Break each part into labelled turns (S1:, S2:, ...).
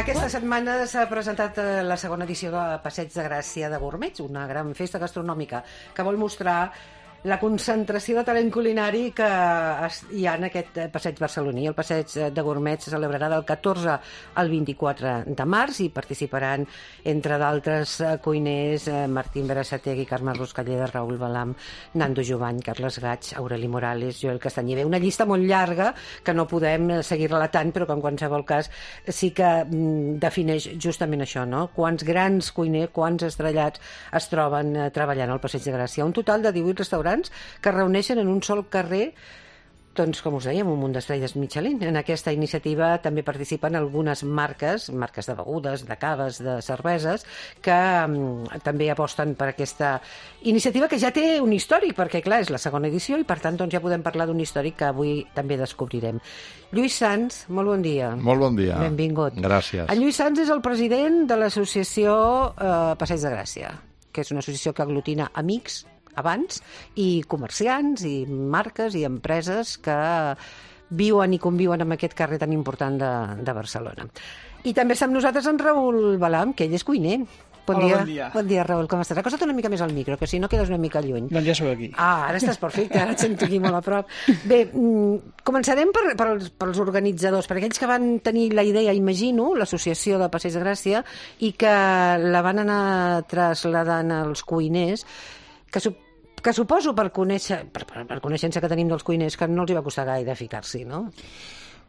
S1: Aquesta setmana s'ha presentat la segona edició de Passeig de Gràcia de Gourmets, una gran festa gastronòmica que vol mostrar la concentració de talent culinari que hi ha en aquest passeig barceloní. El passeig de Gourmets se celebrarà del 14 al 24 de març i participaran, entre d'altres, cuiners Martín Berasategui, Carme Ruscalleda, Raül Balam, Nando Jovany, Carles Gaig, Aureli Morales, Joel Castanyer. Una llista molt llarga que no podem seguir relatant, però que en qualsevol cas sí que defineix justament això, no? Quants grans cuiners, quants estrellats es troben treballant al Passeig de Gràcia. Un total de 18 restaurants que reuneixen en un sol carrer, doncs, com us dèiem, un munt d'estrelles Michelin. En aquesta iniciativa també participen algunes marques de begudes, de caves, de cerveses, que també aposten per aquesta iniciativa que ja té un històric, perquè, clar, és la segona edició i, per tant, doncs, ja podem parlar d'un històric que avui també descobrirem. Lluís Sans, molt bon dia.
S2: Molt bon dia.
S1: Benvingut.
S2: Gràcies.
S1: En Lluís Sans és el president de l'associació Passeig de Gràcia, que és una associació que aglutina amics abans, i comerciants, i marques, i empreses que viuen i conviuen amb aquest carrer tan important de Barcelona. I també està amb nosaltres en Raül Balam, que ell és cuiner. Bon dia. Bon dia, Raül, com estàs? Acosta't una mica més al micro, que si no quedes una mica lluny.
S3: Doncs ja sóc aquí.
S1: Ara estàs perfecte, ara et sento aquí molt a prop. Bé, començarem pels organitzadors, per aquells que van tenir la idea, imagino, l'associació de Passeig de Gràcia, i que la van anar traslladant als cuiners, que suposo per coneixença que tenim dels cuiners que no els hi va costar gaire ficar-s'hi, no?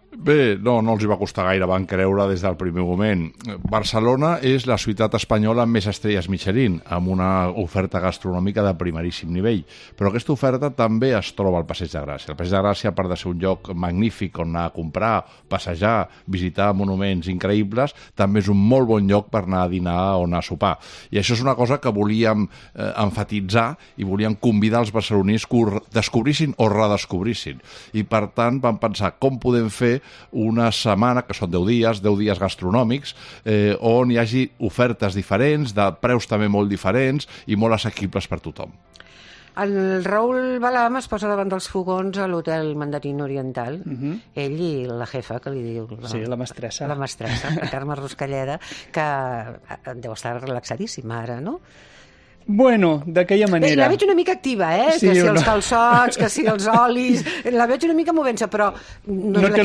S2: Bé, no els hi va costar gaire, van creure des del primer moment. Barcelona és la ciutat espanyola amb més estrelles Michelin, amb una oferta gastronòmica de primeríssim nivell. Però aquesta oferta també es troba al Passeig de Gràcia. El Passeig de Gràcia, a part de ser un lloc magnífic on anar a comprar, passejar, visitar monuments increïbles, també és un molt bon lloc per anar a dinar o anar a sopar. I això és una cosa que volíem emfatitzar i volíem convidar els barcelonins que ho descobrissin o redescobrissin. I, per tant, vam pensar com podem fer una setmana, que són 10 dies gastronòmics, on hi hagi ofertes diferents, de preus també molt diferents i molt assequibles per tothom.
S1: El Raül Balam es posa davant dels fogons a l'Hotel Mandarín Oriental, ell i la jefa, que li diu...
S3: Sí, la mestressa.
S1: La mestressa, la Carme Ruscalleda, que deu estar relaxadíssima ara, no?
S3: Bueno, d'aquella manera...
S1: La veig una mica activa,
S3: Sí,
S1: que si els calçots, que si els olis... La veig una mica movent-se, però...
S3: No té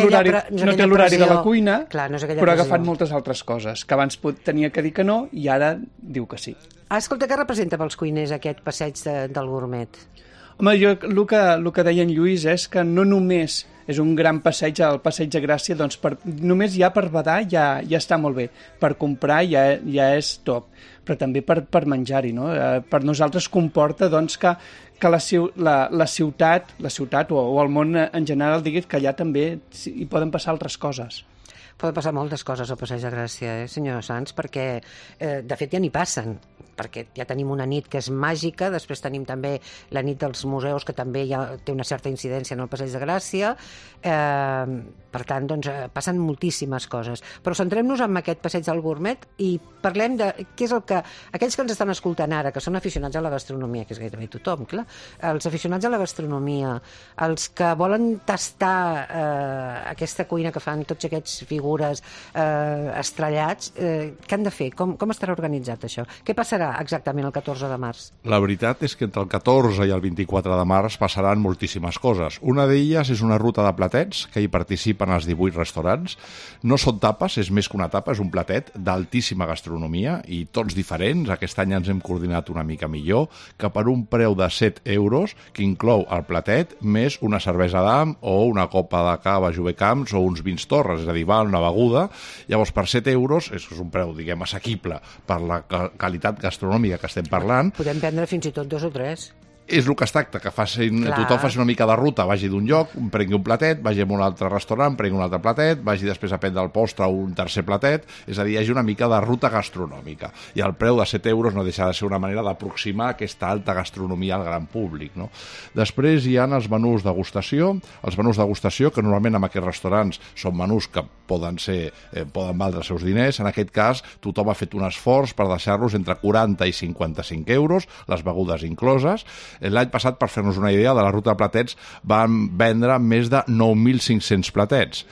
S3: l'horari de la cuina,
S1: clar, no
S3: però ha agafat moltes altres coses, que abans tenia que dir que no i ara diu que sí.
S1: Escolta, què representa pels cuiners aquest passeig del gourmet?
S3: Home, jo el que deia en Lluís és que no només és un gran passeig, el Passeig de Gràcia, doncs només ja per badar ja està molt bé, per comprar ja és top, però també per menjar-hi, no? Per nosaltres comporta doncs, que la ciutat o el món en general diguis que allà també hi poden passar altres coses.
S1: Poden passar moltes coses al Passeig de Gràcia, senyor Sans, perquè de fet ja n'hi passen, perquè ja tenim una nit que és màgica, després tenim també la nit dels museus, que també ja té una certa incidència en el Passeig de Gràcia, per tant, doncs, passen moltíssimes coses. Però centrem-nos en aquest passeig del gourmet i parlem de què és el que... Aquells que ens estan escoltant ara, que són aficionats a la gastronomia, que és gairebé tothom, clar, els aficionats a la gastronomia, els que volen tastar aquesta cuina que fan tots aquests figures estrellats, què han de fer? Com estarà organitzat això? Què passarà exactament el 14 de març?
S2: La veritat és que entre el 14 i el 24 de març passaran moltíssimes coses. Una d'elles és una ruta de platets que hi participen els 18 restaurants. No són tapes, és més que una tapa, és un platet d'altíssima gastronomia i tots diferents. Aquest any ens hem coordinat una mica millor, que per un preu de 7 euros, que inclou el platet més una cervesa d'am o una copa de cava Jove Camps o uns vins Torres, és a dir, val una beguda. Llavors, per 7 euros, és un preu, diguem, assequible per la qualitat gastronòmica que estem parlant.
S1: Podem prendre fins i tot 2 o 3.
S2: És el que es tracta, que tothom faci una mica de ruta, vagi d'un lloc, prengui un platet, vagi a un altre restaurant, prengui un altre platet, vagi després a prendre el postre o un tercer platet, és a dir, hi hagi una mica de ruta gastronòmica. I el preu de 7 euros no deixa de ser una manera d'aproximar aquesta alta gastronomia al gran públic, no? Després hi ha els menús degustació, que normalment en aquests restaurants són menús que poden valdre els seus diners. En aquest cas, tothom ha fet un esforç per deixar-los entre 40 i 55 euros, les begudes incloses. L'any passat, per fer-nos una idea, de la ruta de platets van vendre més de 9.500 platets.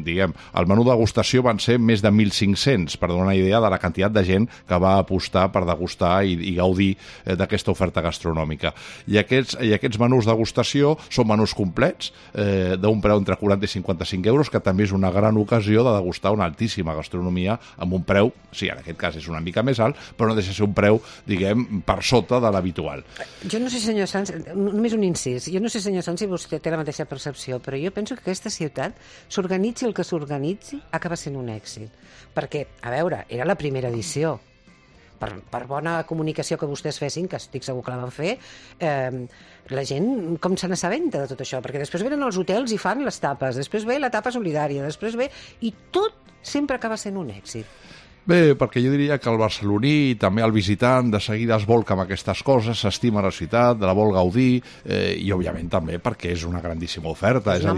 S2: Diguem, el menú degustació van ser més de 1.500, per donar una idea de la quantitat de gent que va apostar per degustar i gaudir d'aquesta oferta gastronòmica. I aquests menús degustació són menús complets, d'un preu entre 40 i 55 euros, que també és una gran ocasió de degustar una altíssima gastronomia amb un preu, sí, en aquest cas és una mica més alt, però no deixa de ser un preu, diguem, per sota de l'habitual.
S1: Jo no sé, senyor Sanz, només un incís, jo no sé, senyor Sanz, si vostè té la mateixa percepció, però jo penso que aquesta ciutat, s'organitzi el que s'organitzi, acaba sent un èxit. Perquè, a veure, era la primera edició. Per bona comunicació que vostès fessin, que estic segur que la van fer, la gent com se n'assabenta de tot això? Perquè després venen als hotels i fan les tapes, després ve la tapa solidària, després ve... I tot sempre acaba sent un èxit.
S2: Bé, perquè jo diria que el barceloní i també el visitant de seguida es volca amb aquestes coses, s'estima la ciutat, la vol gaudir, i òbviament també perquè és una grandíssima oferta. És una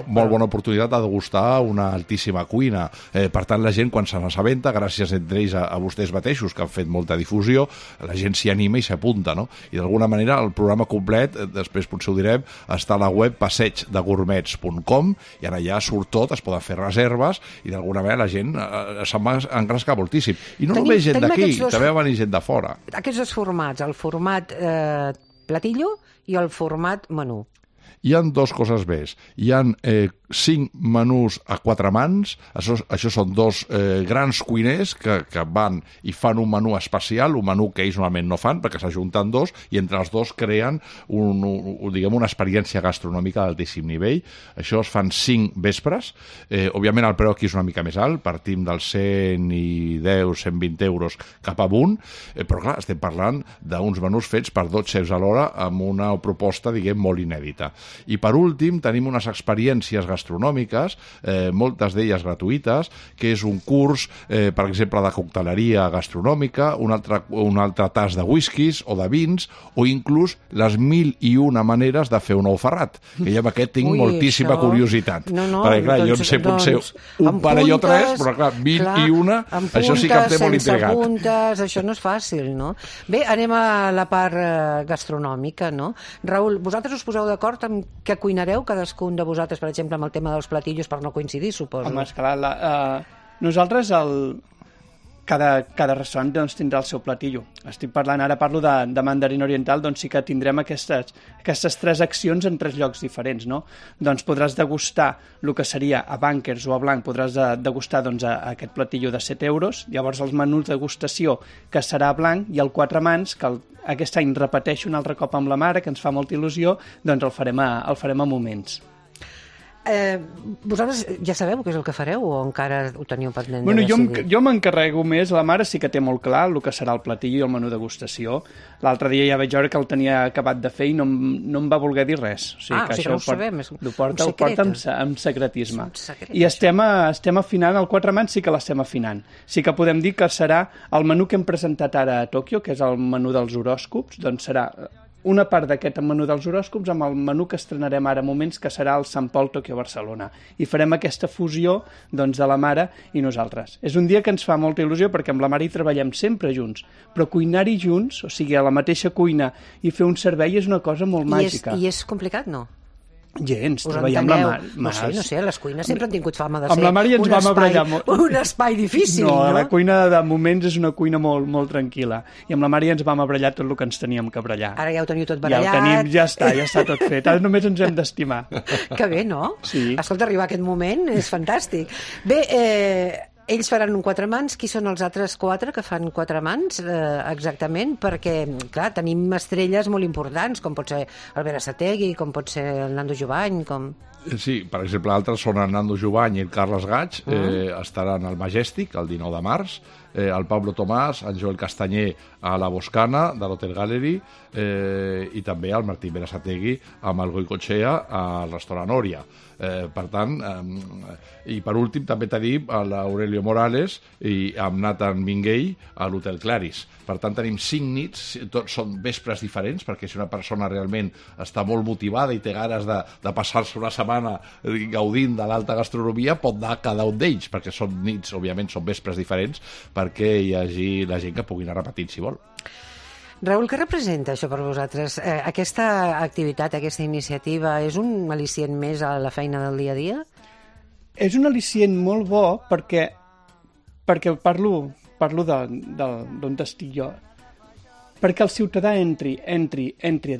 S2: molt bona oportunitat de degustar una altíssima cuina. Per tant, la gent, quan se n'assabenta, gràcies entre ells a vostès mateixos, que han fet molta difusió, la gent s'hi anima i s'apunta, no? I d'alguna manera el programa complet, després potser ho direm, està a la web passeigdegourmets.com, i ara ja surt tot, es poden fer reserves, i d'alguna manera la gent se'n va engrescar moltíssim. I no només gent d'aquí, també va venir gent de fora.
S1: Aquests dos formats, el format platillo i el format menú.
S2: Hi ha dues coses més. Hi ha 5 menús a 4 mans, això són dos grans cuiners que van i fan un menú especial, un menú que ells normalment no fan, perquè s'ajunten dos, i entre els dos creen una experiència gastronòmica d'altíssim nivell. Això es fan 5 vespres. Òbviament el preu aquí és una mica més alt, partim dels 110, 120 euros cap amunt, però clar, estem parlant d'uns menús fets per 2 xefs a l'hora amb una proposta, diguem, molt inèdita. I per últim tenim unes experiències gastronòmiques, moltes d'elles gratuïtes, que és un curs, per exemple, de cocteleria gastronòmica, un altre tas de whiskies o de vins, o inclús les 1001 maneres de fer un ou ferrat, que jo amb aquest tinc moltíssima curiositat. Perquè clar, jo en sé potser un parell o 3, però clar, 1001, això sí que em té molt intrigat.
S1: Puntes, això no és fàcil, no? Bé, anem a la part gastronòmica, no? Raül, vosaltres us poseu d'acord amb què cuinareu, cadascun de vosaltres, per exemple, amb el tema dels platillos, per no coincidir, suposo?
S3: Home, esclar, nosaltres cada restaurant doncs, tindrà el seu platillo. Parlo de mandarín oriental, doncs sí que tindrem aquestes 3 accions en 3 llocs diferents, no? Doncs podràs degustar el que seria a Bankers o a Blanc, podràs degustar doncs, aquest platillo de 7 euros, llavors els menús de degustació que serà a Blanc, i el 4 mans, que aquest any repeteixo un altre cop amb la mare, que ens fa molta il·lusió, doncs el farem a moments.
S1: Vosaltres ja sabeu què és el que fareu o encara ho teniu pendent de
S3: decidir? Jo m'encarrego més, la mare sí que té molt clar el que serà el platillo i el menú degustació. L'altre dia ja vaig veure que el tenia acabat de fer i no em va voler dir res.
S1: O sigui que no ho sabem, és
S3: ho porta amb secretisme. I estem afinant, el 4 mans sí que l'estem afinant. Sí que podem dir que serà el menú que hem presentat ara a Tòquio, que és el menú dels horòscops, doncs serà una part d'aquest menú dels horòscops amb el menú que estrenarem ara a moments, que serà el Sant Pol Tòquio Barcelona. I farem aquesta fusió doncs, de la mare i nosaltres. És un dia que ens fa molta il·lusió perquè amb la mare hi treballem sempre junts, però cuinar-hi junts, o sigui, a la mateixa cuina i fer un servei és una cosa molt màgica.
S1: I és complicat, no?
S3: Gens, treballar amb la mare.
S1: No sé, les cuines sempre han tingut fama de ser
S3: amb la mare ens vam abrellar
S1: un espai difícil, no?
S3: La cuina de moments és una cuina molt, molt tranquil·la. I amb la mare ens vam abrellar tot el que ens teníem que abrellar.
S1: Ara ja ho teniu tot barallat.
S3: Ja ho tenim, ja està tot fet. Ara només ens hem d'estimar.
S1: Que bé, no?
S3: Sí.
S1: Escolta, arribar a aquest moment és fantàstic. Bé, ells faran un 4 mans, qui són els altres 4 que fan 4 mans exactament? Perquè, clar, tenim estrelles molt importants, com pot ser el Berasategui, com pot ser el Nando Jovany, com...
S2: Sí, per exemple, altres són el Nando Jovany i el Carles Gaig, estaran al Majestic el 19 de març, el Pablo Tomàs, en Joel Castanyer a la Boscana de l'Hotel Gallery, i també el Martín Berasategui amb el Goicoechea al restaurant Òria. Per tant, i per últim també tenim l'Aurelio Morales i amb Nathan Minguell a l'Hotel Claris. Per tant, tenim 5 nits, tots són vespres diferents, perquè si una persona realment està molt motivada i té ganes de passar-se una setmana setmana gaudint de l'alta gastronomia, pot anar cada un d'ells, perquè són nits, òbviament, són vespres diferents, perquè hi hagi la gent que pugui anar repetint, si vol.
S1: Raül, què representa això per vosaltres? Aquesta activitat, aquesta iniciativa, és un al·licient més a la feina del dia a dia?
S3: És un al·licient molt bo perquè parlo d'on estic jo, perquè el ciutadà entri a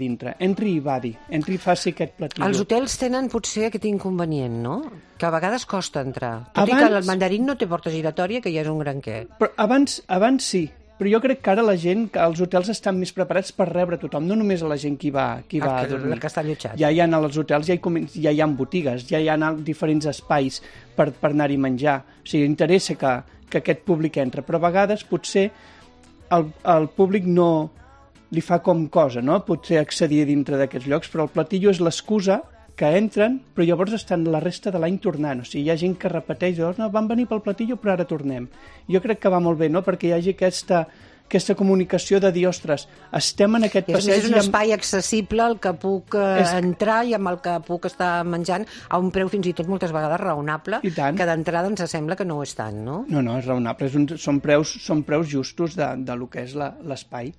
S3: dintre, entri i badi, entri i faci aquest platillo.
S1: Els hotels tenen potser aquest inconvenient, no? Que a vegades costa entrar. Tot i que el mandarín no té porta giratòria, que ja és un gran què.
S3: Però abans sí, però jo crec que ara la gent, que els hotels estan més preparats per rebre tothom, no només a la gent qui va a dormir.
S1: Que està allotjat.
S3: Ja hi ha als hotels, ja hi ha botigues, ja hi ha diferents espais per anar-hi a menjar. O sigui, interessa que aquest públic entra, però a vegades potser el públic no li fa com cosa, no? Potser accedir dintre d'aquests llocs, però el platillo és l'excusa que entren, però llavors estan la resta de l'any tornant. O sigui, hi ha gent que repeteix, no, van venir pel platillo, però ara tornem. Jo crec que va molt bé, no?, perquè hi hagi aquesta comunicació de dir, ostres, estem en aquest passeig...
S1: És un espai accessible al que puc entrar i amb el que puc estar menjant a un preu fins i tot moltes vegades raonable, que d'entrada ens sembla que no ho és tant, no?
S3: No, és raonable, són preus justos de lo que és l'espai.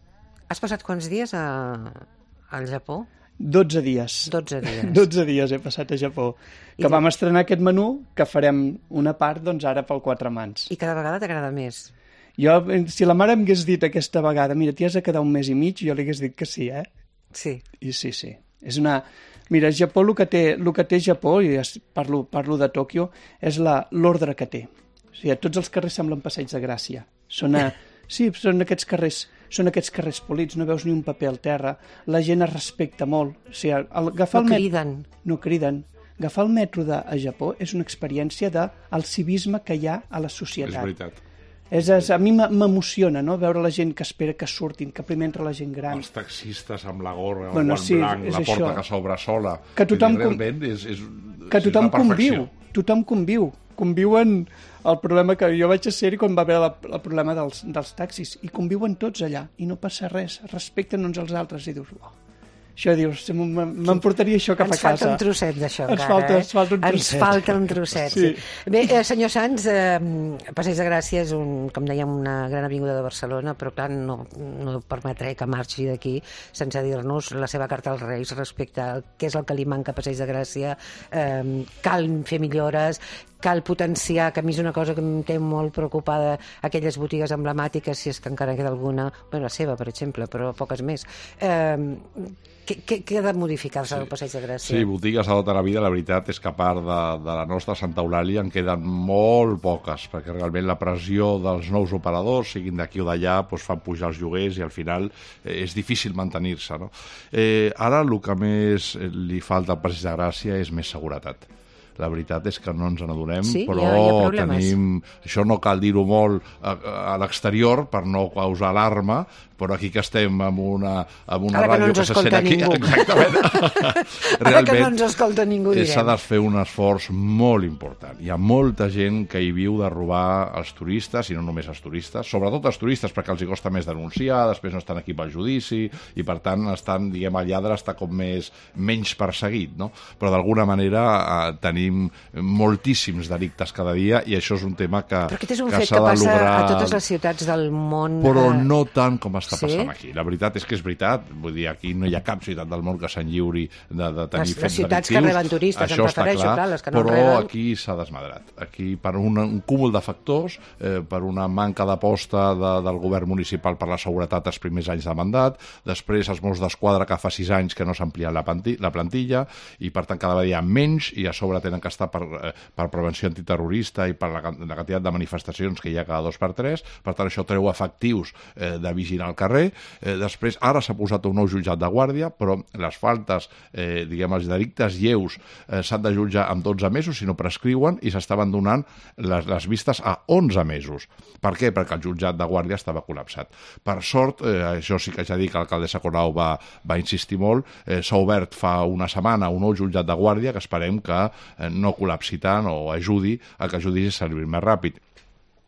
S1: Has passat quants dies al Japó?
S3: 12 dies.
S1: 12 dies.
S3: 12 dies he passat a Japó. Que vam estrenar aquest menú, que farem una part, doncs, ara pel Quatre Mans.
S1: I cada vegada t'agrada més?
S3: Jo, si la mare m'hagués dit aquesta vegada, mira, t'hi has de quedar un mes i mig, jo li hagués dit que sí, eh?
S1: Sí.
S3: I sí. És una... Mira, Japó, el que té Japó, i parlo de Tòquio, és l'ordre que té. O sigui, tots els carrers semblen passeig de Gràcia. Sí, són aquests carrers polits, no veus ni un paper al terra, la gent es respecta molt. O sigui, No criden. Agafar el metro a Japó és una experiència del civisme que hi ha a la societat.
S2: És veritat.
S3: A mi m'emociona, no?, veure la gent que espera que surtin, que primer entra la gent gran.
S2: Els taxistes amb la gorra, el guant blanc, la porta que s'obre sola.
S3: Que tothom conviu. Conviuen el problema que jo vaig ser quan va haver el problema dels taxis, i conviuen tots allà, i no passa res, respecten uns als altres, i dius, això dius, m'emportaria això cap a casa.
S1: Ens falta un trosset d'això encara,
S3: Ens falta un
S1: trosset. Sí. Bé, senyor Sans, Passeig de Gràcia és, com dèiem, una gran avinguda de Barcelona, però clar, no permetré que marxi d'aquí sense dir-nos la seva carta als Reis respecte a què és el que li manca a Passeig de Gràcia. Cal fer millores, cal potenciar, que a mi és una cosa que em té molt preocupada, aquelles botigues emblemàtiques, si és que encara queda alguna, la seva, per exemple, però poques més. Què ha de modificar-se del Passeig de Gràcia?
S2: Sí, botigues a tota la vida, la veritat és que a part de la nostra Santa Eulàlia en queden molt poques, perquè realment la pressió dels nous operadors, siguin d'aquí o d'allà, fan pujar els lloguers i al final és difícil mantenir-se, no? Ara el que més li falta al Passeig de Gràcia és més seguretat. La veritat és que no ens n'adonem, però tenim... Això no cal dir-ho molt a l'exterior per no causar alarma, però aquí que estem amb una ràdio que se sent aquí... Exactament.
S1: Ara que no ens escolta ningú, direm.
S2: S'ha de fer un esforç molt important. Hi ha molta gent que hi viu de robar els turistes, i no només els turistes, sobretot els turistes, perquè els hi costa més denunciar, després no estan aquí pel judici, i per tant estan, diguem, el lladre està com menys perseguit, no? Però d'alguna manera tenim moltíssims delictes cada dia, i això és un tema que s'ha de lograr... Però
S1: aquest és un fet que passa a totes les ciutats del món.
S2: Però no tant com està passant aquí. La veritat és que és veritat. Vull dir, aquí no hi ha cap ciutat del món que s'enlliuri de tenir fets delictius.
S1: Les ciutats que reben turistes, em refereixo, clar, les que no
S2: reben...
S1: Però
S2: aquí s'ha desmadrat. Aquí, per un cúmul de factors, per una manca d'aposta del govern municipal per la seguretat els primers anys de mandat, després els Mossos d'Esquadra que fa 6 anys que no s'ha ampliat la plantilla, i per tant cada vegada hi ha menys, i a sobre tenen que estar per prevenció antiterrorista i per la quantitat de manifestacions que hi ha cada 2 per 3, per tant això treu efectius de vigilar al carrer. Després, ara s'ha posat un nou jutjat de guàrdia, però les faltes, diguem, els delictes lleus s'han de jutjar amb 12 mesos si no prescriuen, i s'estaven donant les vistes a 11 mesos. Per què? Perquè el jutjat de guàrdia estava col·lapsat. Per sort, això sí que ja dic que l'alcaldessa Colau va insistir molt, s'ha obert fa una setmana un nou jutjat de guàrdia que esperem que no col·lapsi tant o ajudi a que el judici s'arribi més ràpid.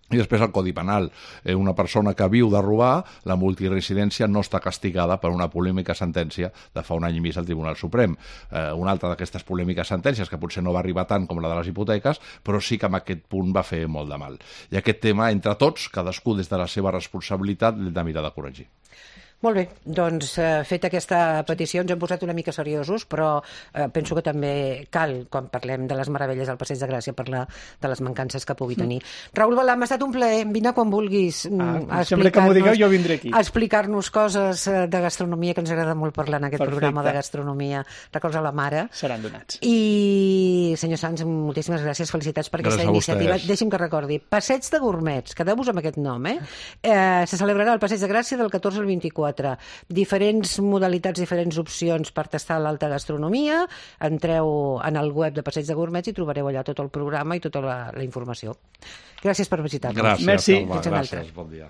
S2: I després el Codi Penal. Una persona que viu de robar, la multiresidència no està castigada per una polèmica sentència de fa un any i mig al Tribunal Suprem. Una altra d'aquestes polèmiques sentències, que potser no va arribar tant com la de les hipoteques, però sí que en aquest punt va fer molt de mal. I aquest tema, entre tots, cadascú des de la seva responsabilitat, l'hem de mirar de corregir.
S1: Molt bé, doncs feta aquesta petició ens hem posat una mica seriosos, però penso que també cal, quan parlem de les meravelles del Passeig de Gràcia, parlar de les mancances que pugui tenir. Raül Balà, m'ha estat un plaer, vine quan vulguis
S3: sempre que m'ho digueu jo vindré aquí.
S1: Explicar-nos coses de gastronomia, que ens agrada molt parlar en aquest programa de gastronomia. Records a la mare.
S3: Seran donats.
S1: I, senyor Sans, moltíssimes gràcies, felicitats per aquesta iniciativa. Deixi'm que recordi, Passeig de Gourmets, quedeu-vos amb aquest nom, se celebrarà el Passeig de Gràcia del 14 al 24. Diferents modalitats, diferents opcions per tastar l'alta gastronomia. Entreu en el web de Passeig de Gourmets i trobareu allà tot el programa i tota la informació. Gràcies per visitar-nos.
S2: Gràcies,
S3: Merci.
S2: Alba, gràcies, bon dia.